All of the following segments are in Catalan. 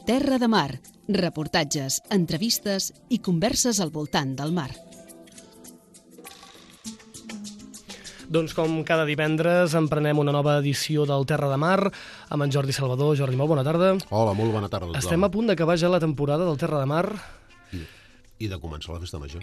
Terra de Mar, reportatges, entrevistes i converses al voltant del mar. Doncs com cada divendres emprenem una nova edició del Terra de Mar amb en Jordi Salvador. Jordi, molt bona tarda. Hola, molt bona tarda. Estem a punt d'acabar ja la temporada del Terra de Mar. I de començar la festa major.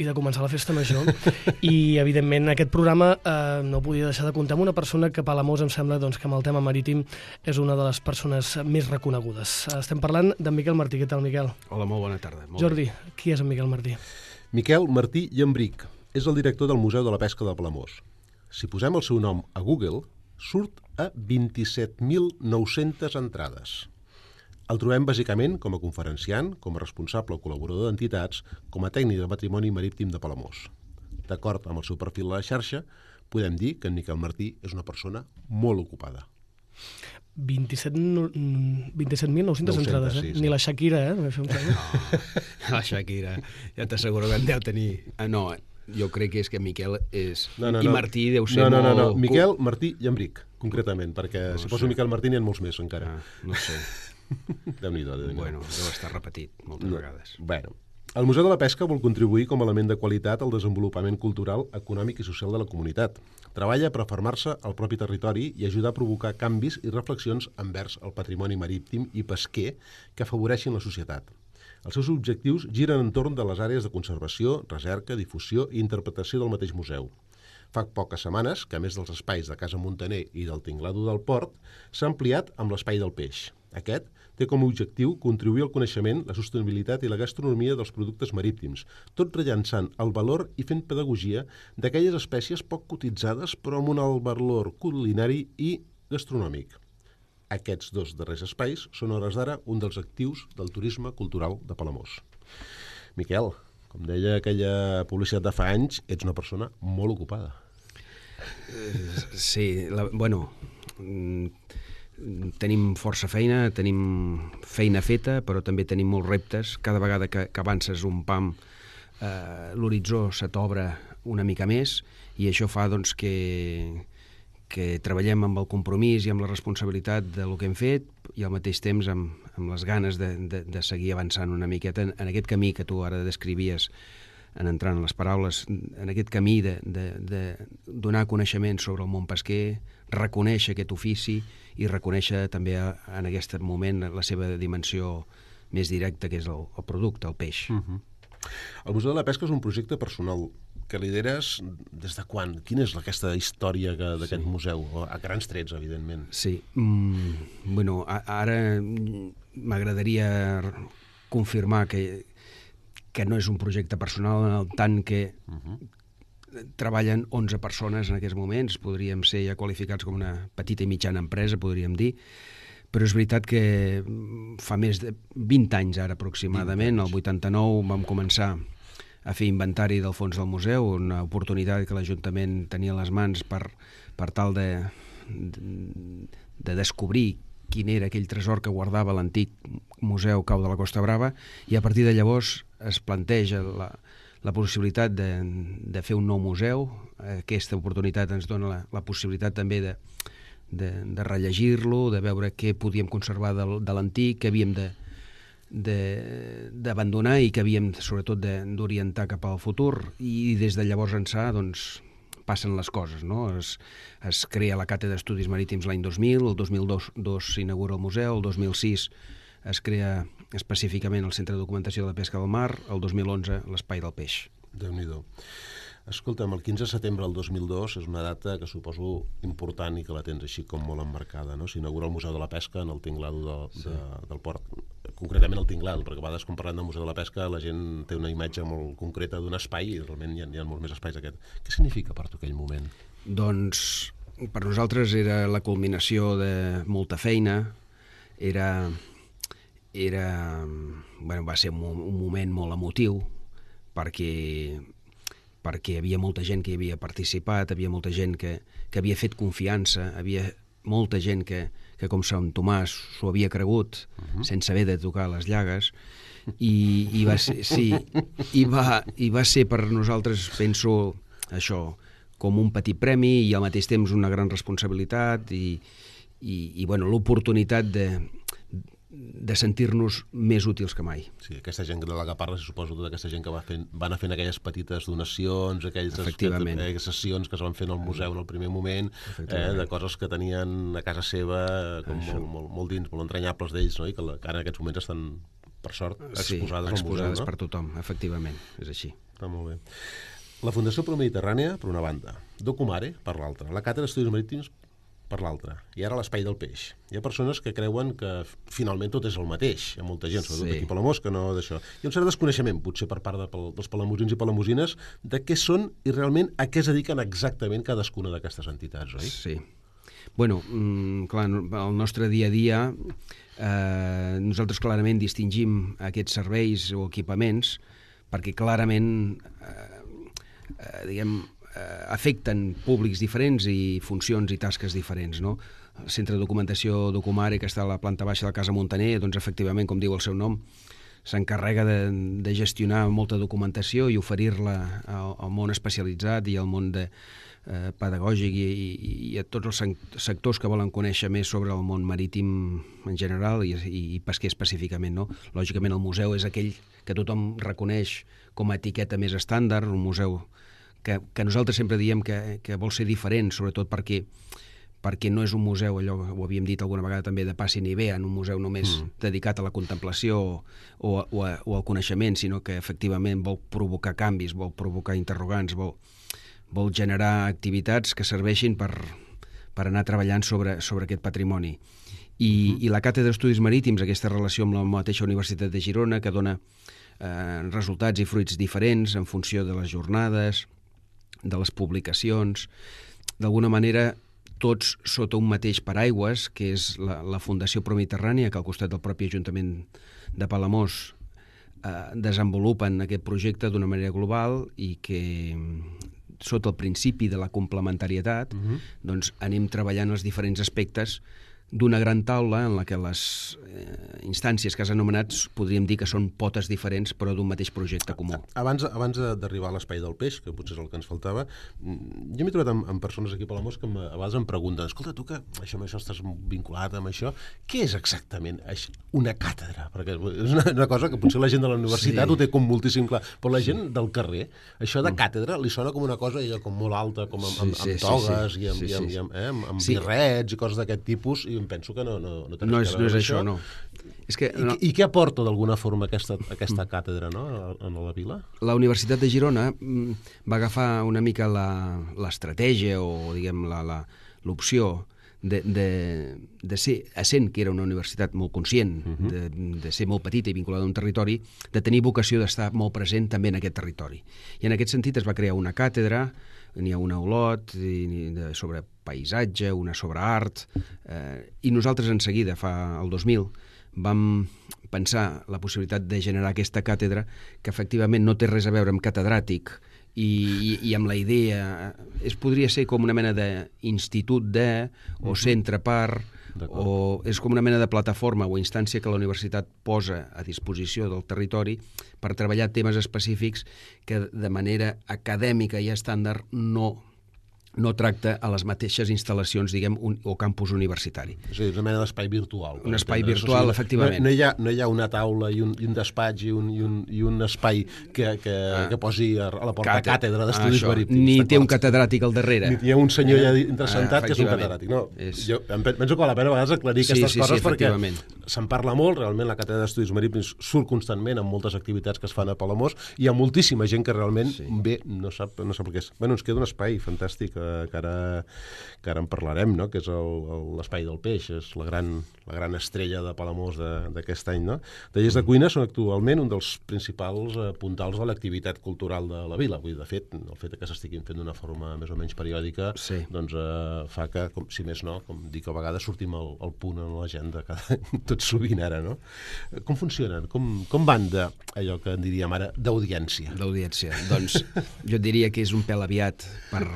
I, evidentment, aquest programa no podia deixar de comptar amb una persona que a Palamós em sembla que amb el tema marítim és una de les persones més reconegudes. Estem parlant d'en Miquel Martí. Què tal, Miquel? Hola, molt bona tarda. Jordi, qui és en Miquel Martí? Miquel Martí Llambric és el director del Museu de la Pesca de Palamós. Si posem el seu nom a Google, surt a 27.900 entrades. El trobem bàsicament com a conferenciant, com a responsable o col·laborador d'entitats, com a tècnic de patrimoni marítim de Palamós. D'acord amb el seu perfil a la xarxa, podem dir que en Miquel Martí és una persona molt ocupada. 27.900 entrades, eh? Sí. Ni la Shakira, eh? Això em sembla. No, la Shakira, ja t'asseguro que en deu tenir... No, jo crec que és que Miquel és... I Martí deu ser molt... No. Miquel Martí Llambric, concretament, perquè si poso Miquel Martí n'hi ha molts més encara. No sé. Déu-n'hi-do. Bueno, deu estar repetit moltes vegades. Bueno, el Museu de la Pesca vol contribuir com a element de qualitat al desenvolupament cultural, econòmic i social de la comunitat. Treballa per afermar-se al propi territori i ajudar a provocar canvis i reflexions envers el patrimoni marítim i pesquer que afavoreixin la societat. Els seus objectius giren entorn de les àrees de conservació, recerca, difusió i interpretació del mateix museu. Fa poques setmanes que, a més dels espais de Casa Muntaner i del Tinglado del Port, s'ha ampliat amb l'Espai del Peix. Aquest té com a objectiu contribuir al coneixement, la sostenibilitat i la gastronomia dels productes marítims, tot rellançant el valor i fent pedagogia d'aquelles espècies poc cotitzades però amb un alt valor culinari i gastronòmic. Aquests dos darrers espais són, a hores d'ara, un dels actius del turisme cultural de Palamós. Miquel, com deia aquella publicitat de fa anys, ets una persona molt ocupada. Sí, tenim força feina, tenim feina feta, però també tenim molts reptes. Cada vegada que avances un pam, l'horitzó se t'obre una mica més i això fa doncs, que treballem amb el compromís i amb la responsabilitat del que hem fet i al mateix temps amb les ganes de seguir avançant una miqueta en aquest camí que tu ara descrivies en entrant en les paraules, en aquest camí de donar coneixement sobre el món pesquer, reconèixer aquest ofici i reconèixer també en aquest moment la seva dimensió més directa, que és el producte, el peix. El Museu de la Pesca és un projecte personal que lideres des de quan? Quina és aquesta història d'aquest museu? A grans trets, evidentment. Sí. Ara m'agradaria confirmar que no és un projecte personal en el tant que treballen 11 persones en aquests moments, podríem ser ja qualificats com una petita i mitjana empresa, podríem dir, però és veritat que fa més de 20 anys ara aproximadament, el 89 vam començar a fer inventari del fons del museu, una oportunitat que l'Ajuntament tenia a les mans per tal de descobrir quin era aquell tresor que guardava l'antic Museu Cau de la Costa Brava, i a partir de llavors es planteja la possibilitat de fer un nou museu. Aquesta oportunitat ens dona la possibilitat també de rellegir-lo, de veure què podíem conservar de l'antic, què havíem d'abandonar i que havíem sobretot d'orientar cap al futur, i des de llavors ençà doncs passen les coses, no? Es crea la Càtedra d'Estudis Marítims l'any 2000, el 2002 s'inaugura el museu, el 2006 es crea específicament el Centre de Documentació de la Pesca del Mar, el 2011 l'Espai del Peix. Déu-n'hi-do. Escolta'm, el 15 de setembre del 2002 és una data que suposo important i que la tens així com molt emmarcada, no? S'inaugura el Museu de la Pesca en el Tinglado del Port, concretament el Tinglado, perquè a vegades quan parlem del Museu de la Pesca la gent té una imatge molt concreta d'un espai i realment hi ha molts més espais aquest. Què significa per tu aquell moment? Doncs per nosaltres era la culminació de molta feina, va ser un moment molt emotiu perquè hi havia molta gent que hi havia participat, havia molta gent que havia fet confiança, havia molta gent que com Sant Tomàs s'ho havia cregut sense haver de tocar les llagues, i va ser per nosaltres, penso, això, com un petit premi i al mateix temps una gran responsabilitat i l'oportunitat de sentir-nos més útils que mai. Sí, aquesta gent de la que parles, suposo, tota aquesta gent que va anar fent aquelles petites donacions, aquelles sessions que es van fent al museu en el primer moment, de coses que tenien a casa seva molt dins, molt entranyables d'ells, no? I que en aquests moments estan, per sort, exposades al museu. Exposades per tothom, efectivament, és així. Està molt bé. La Fundació Promediterrània, per una banda, Documare, per l'altra, la Càtedra d'Estudis Marítims, per l'altra, i ara l'Espai del Peix. Hi ha persones que creuen que finalment tot és el mateix. Hi ha molta gent, sobretot aquí a Palamós, que no d'això. Hi ha un cert desconeixement, potser per part dels palamosins i palamosines, de què són i realment a què es dediquen exactament cadascuna d'aquestes entitats, oi? Sí. Bueno, clar, el nostre dia a dia, nosaltres clarament distingim aquests serveis o equipaments perquè clarament, afecten públics diferents i funcions i tasques diferents, no? El Centre de Documentació Documare, que està a la planta baixa de la Casa Montaner, doncs efectivament, com diu el seu nom, s'encarrega de gestionar molta documentació i oferir-la al món especialitzat i al món pedagògic i a tots els sectors que volen conèixer més sobre el món marítim en general i pesquer específicament, no? Lògicament el museu és aquell que tothom reconeix com a etiqueta més estàndard, un museu que nosaltres sempre diem que vol ser diferent, sobretot perquè no és un museu, allò ho havíem dit alguna vegada també, de passi ni ve, en un museu només dedicat a la contemplació o al coneixement, sinó que efectivament vol provocar canvis, vol provocar interrogants, vol generar activitats que serveixin per anar treballant sobre aquest patrimoni. I la Càtedra d'Estudis Marítims, aquesta relació amb la mateixa Universitat de Girona, que dona resultats i fruits diferents en funció de les jornades, de les publicacions, d'alguna manera tots sota un mateix paraigües, que és la Fundació Promediterrània, que al costat del propi Ajuntament de Palamós desenvolupen aquest projecte d'una manera global i que sota el principi de la complementarietat doncs anem treballant els diferents aspectes d'una gran taula en la que les instàncies que has anomenat podríem dir que són potes diferents però d'un mateix projecte comú. Abans d'arribar a l'Espai del Peix, que potser és el que ens faltava, jo m'he trobat amb persones aquí a Palamós que a vegades em pregunten, escolta, tu que amb això estàs vinculat amb això, què és exactament una càtedra? Perquè és una cosa que potser la gent de la universitat ho té com moltíssim clar, però la gent del carrer, això de càtedra li sona com una cosa com molt alta, com amb togues i amb birrets i coses d'aquest tipus, i em penso que no té res a veure amb això. No. I què aporta d'alguna forma aquesta càtedra, no, a la vila? La Universitat de Girona va agafar una mica l'estratègia o diguem l'opció de ser, essent que era una universitat molt conscient, de ser molt petita i vinculada a un territori, de tenir vocació d'estar molt present també en aquest territori. I en aquest sentit es va crear una càtedra, n'hi ha una a Olot sobre paisatge, una sobre art, i nosaltres en seguida, el 2000, vam pensar la possibilitat de generar aquesta càtedra que efectivament no té res a veure amb catedràtic i amb la idea, podria ser com una mena d'institut o centre per, o és com una mena de plataforma o instància que la universitat posa a disposició del territori per treballar temes específics que de manera acadèmica i estàndard no tracta a les mateixes instal·lacions, diguem, o campus universitari. És a dir, una mena d'espai virtual. Un espai virtual, efectivament. No hi ha una taula i un despatx i un espai que posi a la porta càtedra d'estudis marítims. Ni té un catedràtic al darrere. Ni hi ha un senyor ja interessantat que és un catedràtic. No, jo penso que val la pena a vegades aclarir aquestes coses perquè se'n parla molt, realment la càtedra d'estudis marítims surt constantment amb moltes activitats que es fan a Palamós, hi ha moltíssima gent que realment ve, no sap el que és. Bueno, ens queda un espai fantàstic que ara en parlarem, no? Que és l'Espai del Peix, és la gran estrella de Palamós d'aquest any, no? Tallers de cuina són actualment un dels principals puntals de l'activitat cultural de la vila. Vull dir, de fet, el fet que s'estiguin fent d'una forma més o menys periòdica doncs fa que, si més no, com dic a vegades, sortim al punt en l'agenda tot sovint ara, no? Com funcionen? Com van d'allò que en diríem ara d'audiència? D'audiència. Doncs jo diria que és un pèl aviat per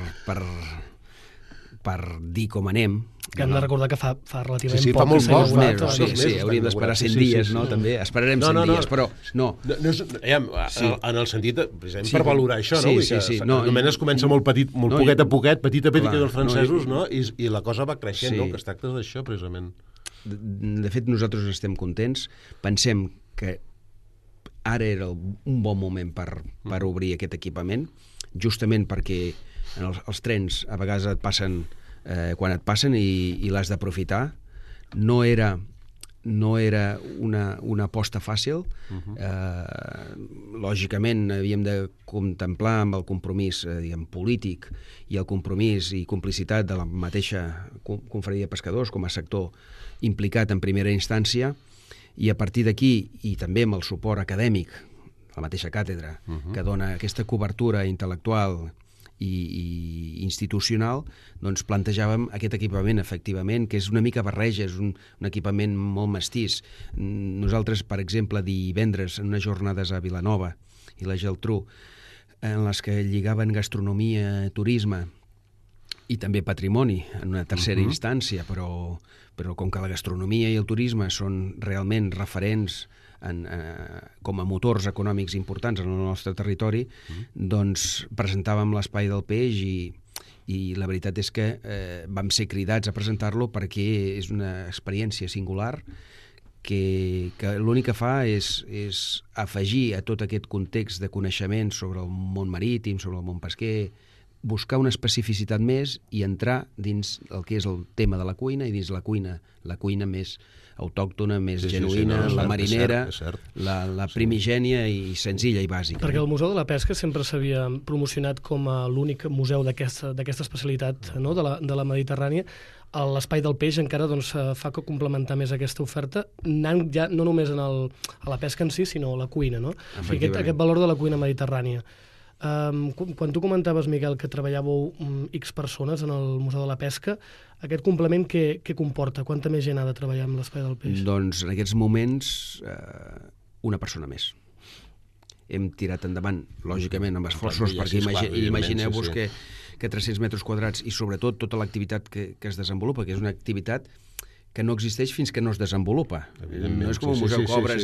dir com anem. Que hem de recordar que fa relativament fa molt poc. Hauríem d'esperar 100 dies, no? També esperarem 100 dies, però no. En el sentit, precisament per valorar això, no? Només es comença molt petit, molt poquet a poquet, petit a petit, que els francesos, no? I la cosa va creixent, no? Que es tracta d'això, precisament. De fet, nosaltres estem contents. Pensem que ara era un bon moment per obrir aquest equipament, justament perquè els trens a vegades et passen quan et passen i l'has d'aprofitar. No era una aposta fàcil. Lògicament havíem de contemplar amb el compromís polític i el compromís i complicitat de la mateixa Confraria de Pescadors com a sector implicat en primera instància, i a partir d'aquí, i també amb el suport acadèmic, la mateixa càtedra, que dona aquesta cobertura intel·lectual i institucional, doncs plantejàvem aquest equipament, efectivament, que és una mica barreja, és un equipament molt mestís. Nosaltres, per exemple, divendres, en unes jornades a Vilanova i la Geltrú, en les que lligaven gastronomia, turisme i també patrimoni, en una tercera instància, però com que la gastronomia i el turisme són realment referents com a motors econòmics importants en el nostre territori, doncs presentàvem l'Espai del Peix i la veritat és que vam ser cridats a presentar-lo perquè és una experiència singular que l'únic que fa és afegir a tot aquest context de coneixement sobre el món marítim, sobre el món pesquer, buscar una especificitat més i entrar dins el que és el tema de la cuina, i dins la cuina més autòctona, més genuïna, la marinera, la primigènia i senzilla i bàsica. Perquè el Museu de la Pesca sempre s'havia promocionat com a l'únic museu d'aquesta especialitat, no?, de la Mediterrània. L'Espai del Peix encara fa que complementar més aquesta oferta, anant ja no només a la pesca en si, sinó a la cuina, no? Aquest valor de la cuina mediterrània. Quan tu comentaves, Miquel, que treballàveu X persones en el Museu de la Pesca, aquest complement què comporta? Quanta més gent ha de treballar amb l'Espai del Peix? Doncs en aquests moments una persona més. Hem tirat endavant, lògicament, amb esforços, perquè imagineu-vos que 300 metres quadrats i sobretot tota l'activitat que es desenvolupa, que és una activitat que no existeix fins que no es desenvolupa. No és com un museu que obres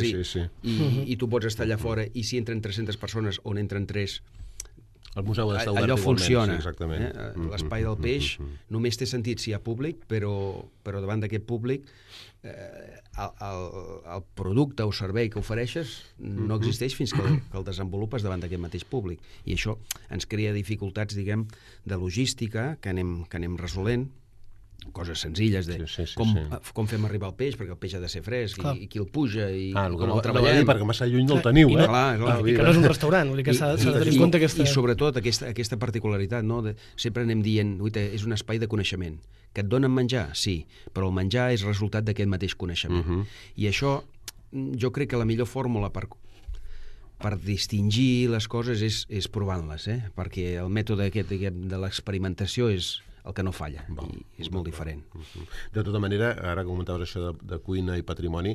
i tu pots estar allà fora, i si entren 300 persones on entren 3, el museu ha d'estar obert allò funciona. L'espai del peix només té sentit si hi ha públic, però davant d'aquest públic el producte o servei que ofereixes no existeix fins que el desenvolupes davant d'aquest mateix públic. I això ens crea dificultats, diguem, de logística que anem resolent, coses senzilles de com fem arribar el peix, perquè el peix ha de ser fresc, i qui el puja, i com el treballem. Perquè massa lluny no el teniu, I que no és un restaurant, vull dir que s'ha de tenir en compte aquesta... I sobretot aquesta particularitat, no? Sempre anem dient, és un espai de coneixement. Que et donen menjar? Sí, però el menjar és resultat d'aquest mateix coneixement. I això, jo crec que la millor fórmula per distingir les coses és provant-les, perquè el mètode aquest de l'experimentació és el que no falla, i és molt diferent. De tota manera, ara que comentaves això de cuina i patrimoni,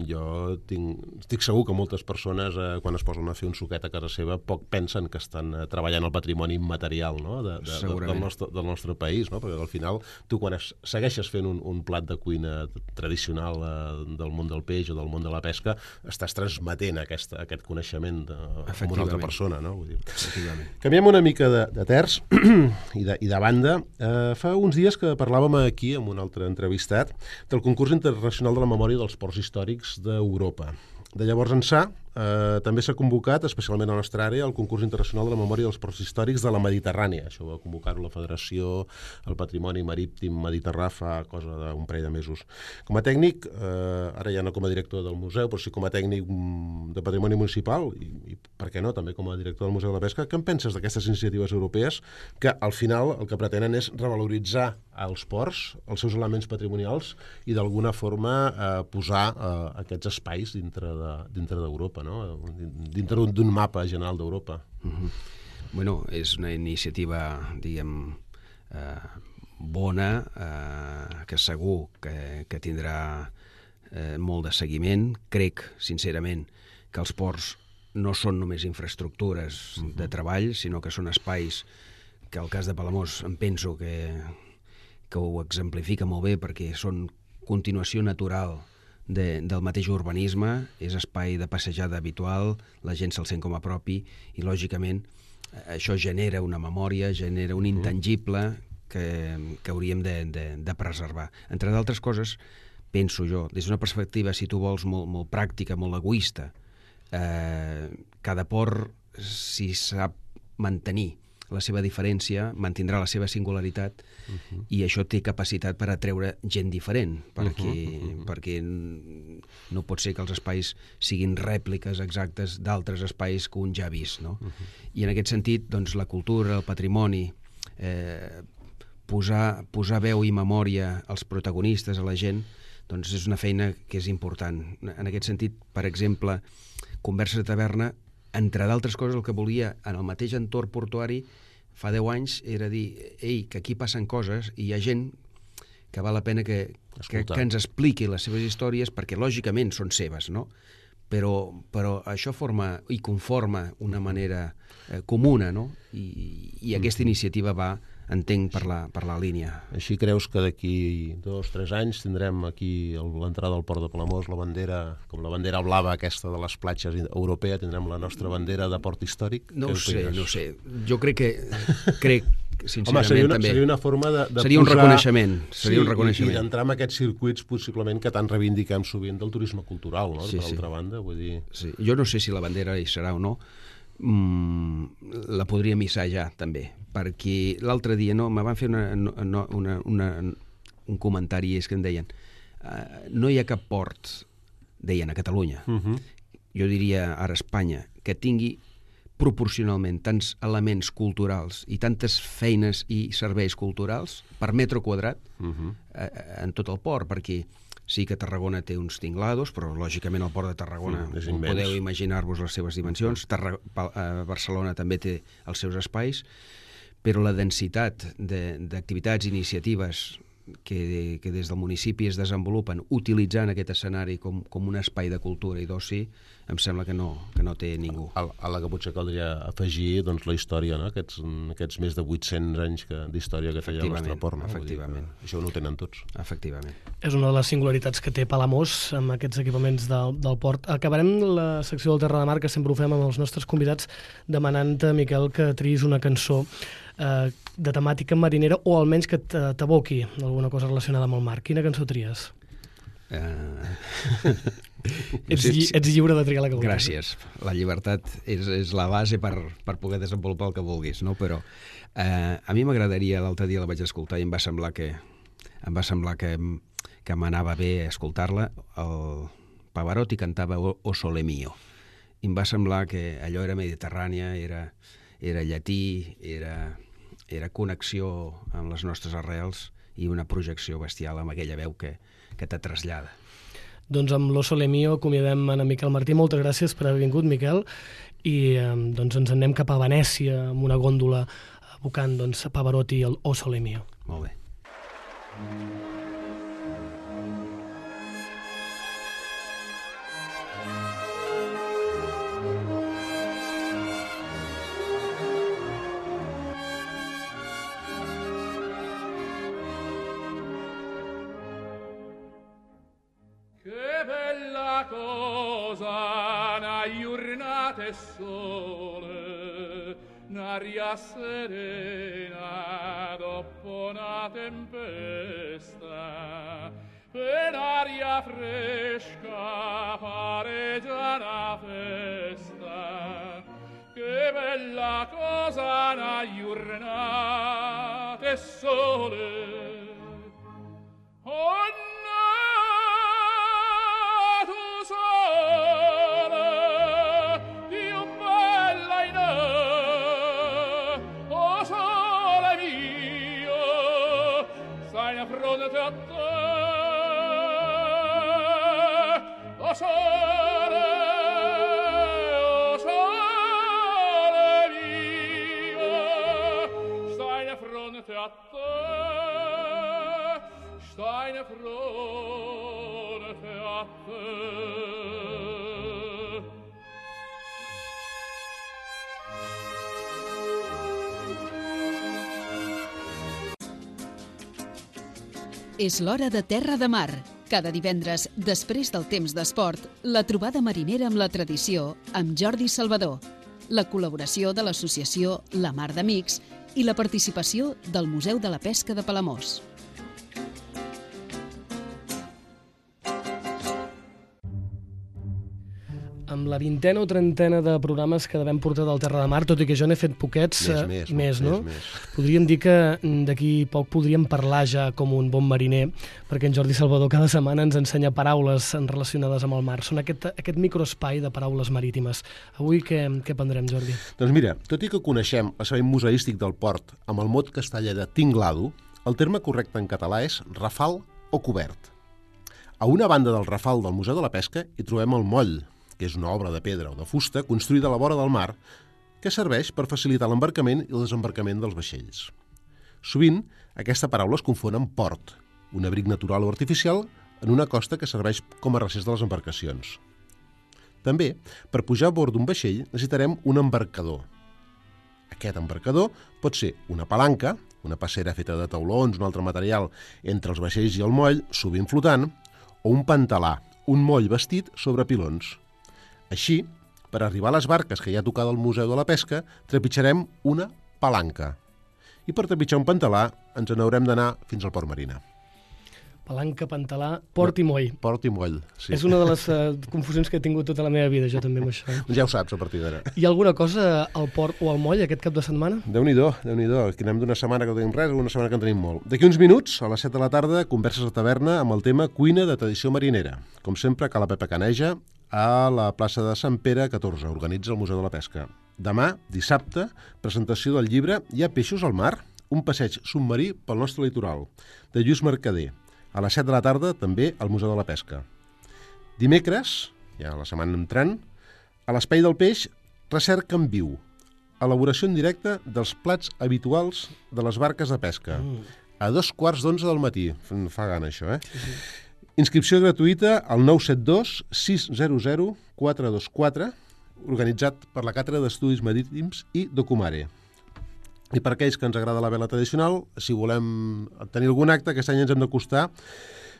jo estic segur que moltes persones, quan es posen a fer un suquet a casa seva, poc pensen que estan treballant el patrimoni immaterial, no?, del nostre país, no? Perquè al final tu quan segueixes fent un plat de cuina tradicional del món del peix o del món de la pesca, estàs transmetent aquest coneixement a una altra persona, no? Vull dir. Canviem una mica de terç i de banda. Fa uns dies que parlàvem aquí, amb un altre entrevistat, del concurs internacional de la memòria dels ports històrics d'Europa. De llavors ençà, també s'ha convocat, especialment a la nostra àrea, el concurs internacional de la memòria dels ports històrics de la Mediterrània. Això va convocar-ho la Federació, el Patrimoni Marítim Mediterrà, fa cosa d'un parell de mesos. Com a tècnic, ara ja no com a director del museu, però sí com a tècnic de patrimoni municipal, i per què no, també com a director del Museu de la Pesca, què en penses d'aquestes iniciatives europees que al final el que pretenen és revaloritzar els ports, els seus elements patrimonials, i d'alguna forma posar aquests espais dintre d'Europa, no? Dintre d'un mapa general d'Europa. Bueno, és una iniciativa, diguem, bona, que segur que tindrà molt de seguiment. Crec, sincerament, que els ports no són només infraestructures de treball, sinó que són espais que, al cas de Palamós, em penso que ho exemplifica molt bé, perquè són continuació natural del mateix urbanisme, és espai de passejada habitual, la gent se'l sent com a propi, i lògicament això genera una memòria, genera un intangible que hauríem de preservar. Entre d'altres coses, penso jo, des d'una perspectiva, si tu vols, molt pràctica, molt egoista. Cada port, si sap mantenir la seva diferència, mantindrà la seva singularitat, i això té capacitat per atreure gent diferent, perquè no pot ser que els espais siguin rèpliques exactes d'altres espais que un ja ha vist, no? I en aquest sentit, doncs, la cultura, el patrimoni, posar veu i memòria als protagonistes, a la gent, doncs és una feina que és important. En aquest sentit, per exemple, Converses de Taverna, entre d'altres coses, el que volia en el mateix entorn portuari fa 10 anys era dir, ei, que aquí passen coses i hi ha gent que val la pena que ens expliqui les seves històries, perquè lògicament són seves, no? Però això forma i conforma una manera comuna, no? I aquesta iniciativa va, entenc, per la línia. Així creus que d'aquí 2-3 anys tindrem aquí l'entrada al port de Palamós, la bandera, com la bandera blava aquesta de les platges europea, tindrem la nostra bandera de port històric? No ho sé. Jo crec sincerament, també. Seria una forma de seria un reconeixement. Seria un reconeixement. I d'entrar en aquests circuits, possiblement, que tant reivindiquem sovint del turisme cultural, no? Sí, per altra banda, vull dir... Sí. Jo no sé si la bandera hi serà o no, la podríem hissar ja, també, perquè l'altre dia me van fer un comentari, és que em deien no hi ha cap port, deien, a Catalunya, jo diria ara a Espanya, que tingui proporcionalment tants elements culturals i tantes feines i serveis culturals per metre quadrat en tot el port, perquè sí que Tarragona té uns tinglados, però lògicament el port de Tarragona podeu imaginar-vos les seves dimensions. Barcelona també té els seus espais, però la densitat d'activitats i iniciatives que des del municipi es desenvolupen utilitzant aquest escenari com un espai de cultura i d'oci, em sembla que no té ningú. A la que potser caldria afegir doncs, la història, no? Aquests més de 800 anys d'història que té el nostre port. No? Efectivament. Això no ho tenen tots. Efectivament. És una de les singularitats que té Palamós amb aquests equipaments del port. Acabarem la secció del Terra de Mar, que sempre ho fem amb els nostres convidats, demanant-te, Miquel, que triïs una cançó de temàtica marinera, o almenys que t'aboqui alguna cosa relacionada amb el mar. Quina cançó tries? Ets lliure de triar la que vulguis. Gràcies. La llibertat és la base per poder desenvolupar el que vulguis, no? Però a mi m'agradaria, l'altre dia la vaig escoltar i em va semblar que m'anava bé escoltar-la. El Pavarotti cantava O Sole Mio. I em va semblar que allò era mediterrània, era llatí, era connexió amb les nostres arrels i una projecció bestial amb aquella veu que te trasllada. Doncs amb l'O Sole Mio acomiadem en Miquel Martí. Moltes gràcies per haver vingut, Miquel, i doncs ens anem cap a Venècia amb una gòndola evocant Pavarotti i el O Sole Mio. Molt bé. Sole, un'aria serena dopo una tempesta, per aria fresca pareggia una festa. Che bella cosa una giornata e sole. Oh, fronte a te, o sole mio, stai di fronte a te, stai di fronte a te. És l'hora de Terra de Mar. Cada divendres, després del temps d'esport, la trobada marinera amb la tradició amb Jordi Salvador, la col·laboració de l'associació La Mar d'Amics i la participació del Museu de la Pesca de Palamós. amb la 20ena o 30ena de programes que devem portar del Terra de Mar, tot i que jo n'he fet poquets, més, no? Podríem dir que d'aquí poc podríem parlar ja com un bon mariner, perquè en Jordi Salvador cada setmana ens ensenya paraules relacionades amb el mar. Són aquest microespai de paraules marítimes. Avui què prendrem, Jordi? Doncs mira, tot i que coneixem l'espai museístic del port amb el mot castellà de tinglado, el terme correcte en català és rafal o cobert. A una banda del rafal del Museu de la Pesca hi trobem el moll, que és una obra de pedra o de fusta construïda a la vora del mar que serveix per facilitar l'embarcament i el desembarcament dels vaixells. Sovint, aquesta paraula es confon amb port, un abric natural o artificial en una costa que serveix com a recés de les embarcacions. També, per pujar a bord d'un vaixell, necessitarem un embarcador. Aquest embarcador pot ser una palanca, una passera feta de taulons, un altre material entre els vaixells i el moll, sovint flotant, o un pantalà, un moll bastit sobre pilons. Així, per arribar a les barques que hi ha tocada al Museu de la Pesca, trepitjarem una palanca. I per trepitjar un pantalà ens n'haurem d'anar fins al Port Marina. Palanca, pantalà, port i moll. Port i moll, sí. És una de les confusions que he tingut tota la meva vida, jo també amb això. Ja ho saps, a partir d'ara. Hi ha alguna cosa al port o al moll aquest cap de setmana? Déu-n'hi-do, Déu-n'hi-do. Aquí anem d'una setmana que no tenim res a una setmana que en tenim molt. D'aquí uns minuts, a les 7 de la tarda, converses a taverna amb el tema cuina de tradició marinera. Com sempre, a Cala Pepa Caneja, a la plaça de Sant Pere 14, organitza el Museu de la Pesca. Demà, dissabte, presentació del llibre Hi ha peixos al mar? Un passeig submarí pel nostre litoral, de Lluís Mercader. A les 7 de la tarda, també, al Museu de la Pesca. Dimecres, ja la setmana entrant, a l'Espai del Peix, recerca en viu. Elaboració en directe dels plats habituals de les barques de pesca. A 2:15 del matí. Fa gana, això, eh? Sí. Inscripció gratuïta al 972 600 424, organitzat per la Càtedra d'Estudis Marítims i Documare. I per aquells que ens agrada la vela tradicional, si volem tenir algun acte, aquest any ens hem d'acostar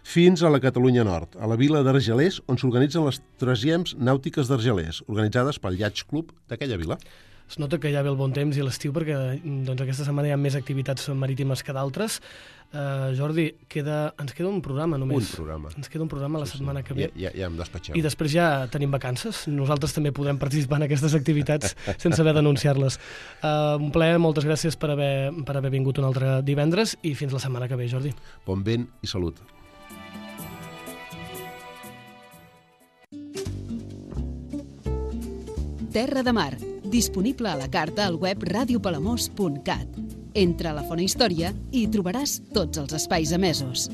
fins a la Catalunya Nord, a la vila d'Argelers, on s'organitzen les Trasiems Nàutiques d'Argelers, organitzades pel Yacht Club d'aquella vila. Es nota que ja ve el bon temps i l'estiu perquè doncs, aquesta setmana hi ha més activitats marítimes que d'altres. Jordi, ens queda un programa només. Un programa. Ens queda un programa la setmana que ve. Ja em despatxeu. I després ja tenim vacances. Nosaltres també podrem participar en aquestes activitats sense haver d'anunciar-les. Un plaer, moltes gràcies per haver vingut un altre divendres i fins la setmana que ve, Jordi. Bon vent i salut. Terra de Mar, disponible a la carta al web radiopalamós.cat. Entra a la Fona Història i hi trobaràs tots els espais emesos.